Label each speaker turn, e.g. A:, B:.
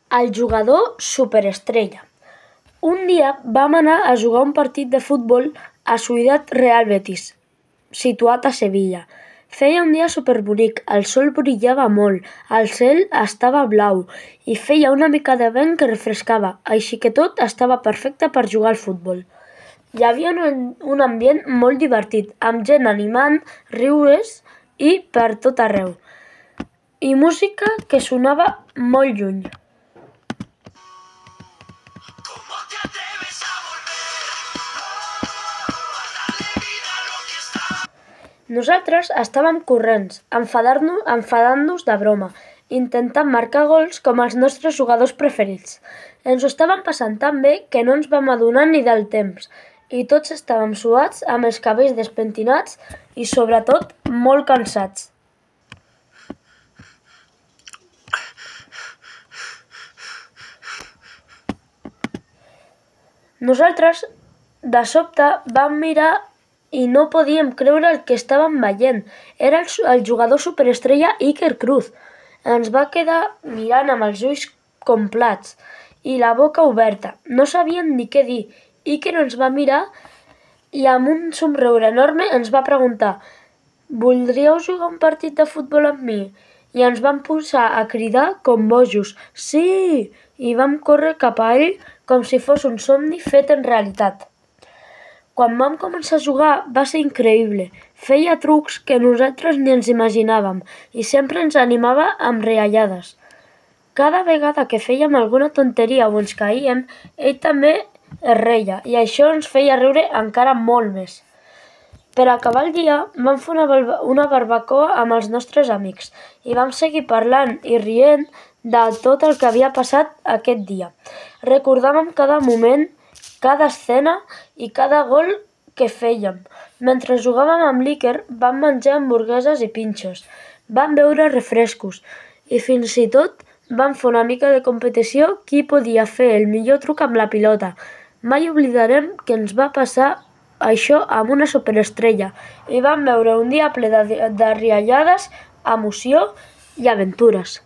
A: El jugador superestrella. Un dia vam anar a jugar un partit de futbol a Ciutat Real Betis, situat a Sevilla. Feia un dia superbonic, el sol brillava molt, el cel estava blau i feia una mica de vent que refrescava, així que tot estava perfecte per jugar al futbol. Hi havia un ambient molt divertit, amb gent animant, riures i per tot arreu, i música que sonava molt lluny. Nosaltres estàvem corrents, enfadant-nos de broma, intentant marcar gols com els nostres jugadors preferits. Ens ho estàvem passant tan bé que no ens vam adonar ni del temps i tots estàvem suats, amb els cabells despentinats i, sobretot, molt cansats. Nosaltres, de sobte, vam mirar i no podíem creure el que estàvem veient. Era el jugador superestrella Iker Cruz. Ens va quedar mirant amb els ulls com plats i la boca oberta. No sabíem ni què dir. Iker ens va mirar i amb un somriure enorme ens va preguntar: «Voldríeu jugar un partit de futbol amb mi?» I ens vam posar a cridar com bojos: «Sí!» I vam córrer cap a ell com si fos un somni fet en realitat. Quan vam començar a jugar va ser increïble. Feia trucs que nosaltres ni ens imaginàvem i sempre ens animava amb riallades. Cada vegada que fèiem alguna tonteria o ens caíem, ell també es reia i això ens feia riure encara molt més. Per acabar el dia vam fer una barbacoa amb els nostres amics i vam seguir parlant i rient de tot el que havia passat aquest dia. Recordàvem cada moment, cada escena i cada gol que fèiem. Mentre jugàvem amb l'Iker vam menjar hamburgueses i pinxos, vam beure refrescos i fins i tot vam fer una mica de competició qui podia fer el millor truc amb la pilota. Mai oblidarem que ens va passar això amb una superestrella i vam veure un dia ple de riallades, emoció i aventures.